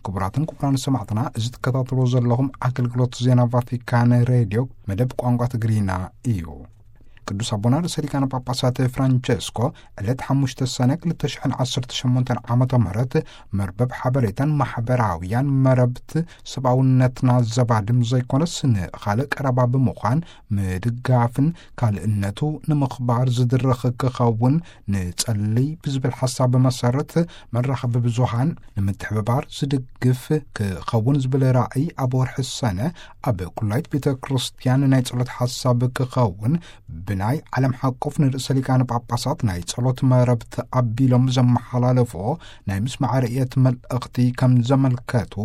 ክቡራትን ክቡራን ሰማዕትና፣ እዚ ትከታተልዎ ዘለኹም ኣገልግሎት ዜና ቫቲካን ሬድዮ መደብ ቋንቋ ትግርኛ እዩ። ቅዱስ ኣቦና ርእሰ ሊቃነ ጳጳሳት ፍራንቸስኮ ዕለት ሓሙሽተ ሰነ ክልተ ሽሕን ዓሰርተ ሸሞንተን ዓመተ ምህረት መርበብ ሓበሬታን ማሕበራውያን መረብት ሰብኣውነትና ዘባድም ዘይኮነስ ንኻልእ ቀረባ ብምዃን ምድጋፍን ካልእነቱ ንምኽባር ዝድርኽ ክኸውን ንጸልይ ብዝብል ሓሳብ መሰረት መራኸቢ ብዙሃን ንምትሕብባር ዝድግፍ ክኸውን ዝብል ራእይ ኣብ ወርሒ ሰነ ኣብ ኩላይት ቤተ ክርስቲያን ናይ ጸሎት ሓሳብ ክኸውን ብናይ ዓለም ሓቆፍ ንርእሰ ሊቃነ ጳጳሳት ናይ ጸሎት መረብት ኣቢሎም ዘመሓላለፎ ናይ ምስማዕ ርእየት መልእኽቲ ከም ዘመልከቱ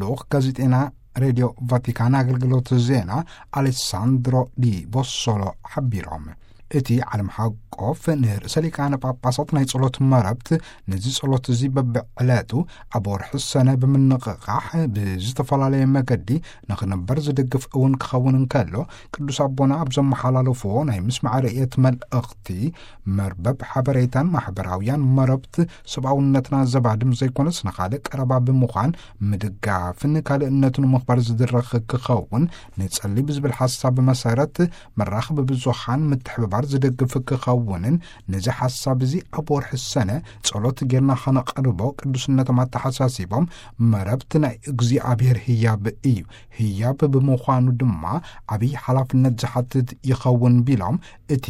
ልኡኽ ጋዜጤና ሬድዮ ቫቲካን ኣገልግሎት ዜና ኣሌሳንድሮ ዲ ቦሶሎ ሓቢሮም። እቲ ዓለም ሓቆፍ ንርእሰ ሊቃነ ጳጳሳት ናይ ጸሎት መረብት ነዚ ጸሎት እዚ በብዕለቱ ኣብ ወርሒ ሰነ ብምንቕቓሕ ብዝተፈላለየ መገዲ ንኽንበር ዝድግፍ እውን ክኸውን እንከሎ፣ ቅዱስ ኣቦና ኣብ ዘመሓላለፍዎ ናይ ምስማዕ ርእየት መልእኽቲ፣ መርበብ ሓበሬታን ማሕበራውያን መረብት ሰብኣውነትና ዘባድም ዘይኮነስ ንኻልእ ቀረባ ብምዃን ምድጋፍን ካልእነቱን ምኽባር ዝድረኽ ክኸውን ንጸሊ ብዝብል ሓሳብ መሰረት መራኸቢ ብዙሃን ምትሕብባር ዝደግፍ ክኸውንን ነዚ ሓሳብ እዚ ኣብ ወርሒ ሰነ ጸሎት ጌርና ኸነቐርቦ ቅዱስነቶም ኣተሓሳሲቦም፣ መረብት ናይ እግዚኣብሔር ህያብ እዩ። ህያብ ብምዃኑ ድማ ዓብዪ ሓላፍነት ዝሓትት ይኸውን ቢሎም፣ እቲ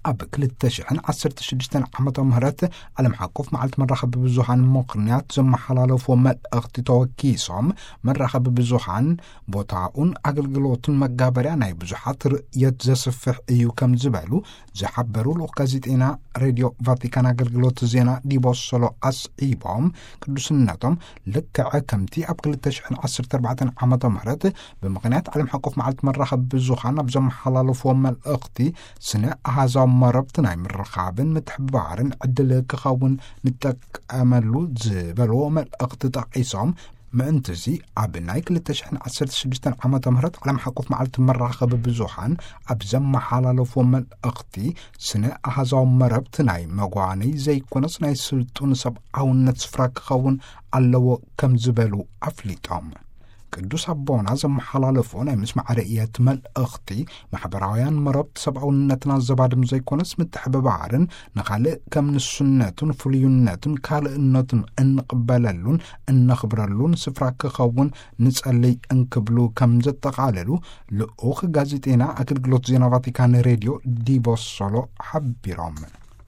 ኣብ ክልተ ሽሕን ዓሰርተ ሽዱሽተን ዓመተ ምህረት ዓለም ሓቆፍ መዓልቲ መራኸቢ ብዙሃን ምኽንያት ዘመሓላለፍዎ መልእኽቲ ተወኪሶም፣ መራኸቢ ብዙሃን ቦታኡን ኣገልግሎቱን መጋበርያ ናይ ብዙሓት ርእየት ዘስፍሕ እዩ ከም ዝበሉ ዝሓበሩ ልኡኽ ጋዜጤና ሬድዮ ቫቲካን ኣገልግሎት ዜና ዲቦሶሎ ኣስዒቦም፣ ቅዱስነቶም ልክዕ ከምቲ ኣብ ክልተ ሽሕን ዓሰርተ ኣርባዕተን ዓመተ ምህረት ብምኽንያት ዓለም ሓቆፍ መዓልቲ መራኸቢ ብዙሃን ኣብ ዘመሓላለፍዎ መልእኽቲ፣ ስነ ኣሃዛዊ መረብቲ ናይ ምርኻብን ምትሕብባርን ዕድል ክኸውን ንጠቀመሉ ዝበልዎ መልእኽቲ ጠቒሶም፣ ምእንትዚ ኣብ ናይ ክልተ ሽሕን ዓሰርተ ሽዱሽተን ዓመተ ምህረት ዓለም ሓቆፍ መዓልቲ መራኸቢ ብዙሃን ኣብ ዘመሓላለፍዎ መልእኽቲ፣ ስነ ኣሃዛዊ መረብቲ ናይ መጓነይ ዘይኮነስ ናይ ስልጡን ሰብኣውነት ስፍራ ክኸውን ኣለዎ ከም ዝበሉ ኣፍሊጦም። ቅዱስ ኣቦና ዘመሓላለፎ ናይ ምስማዕ ርእየት መልእኽቲ፣ ማሕበራውያን መረብቲ ሰብኣውነትና ዘባድም ዘይኮነስ ምትሕብባርን ንኻልእ ከም ንሱነቱን ፍሉይነቱን ካልእነቱን እንቕበለሉን እነኽብረሉን ስፍራ ክኸውን ንጸልይ እንክብሉ ከም ዘጠቓለሉ ልኡኽ ጋዜጤና ኣገልግሎት ዜና ቫቲካን ሬድዮ ዲቦሶሎ ሓቢሮም።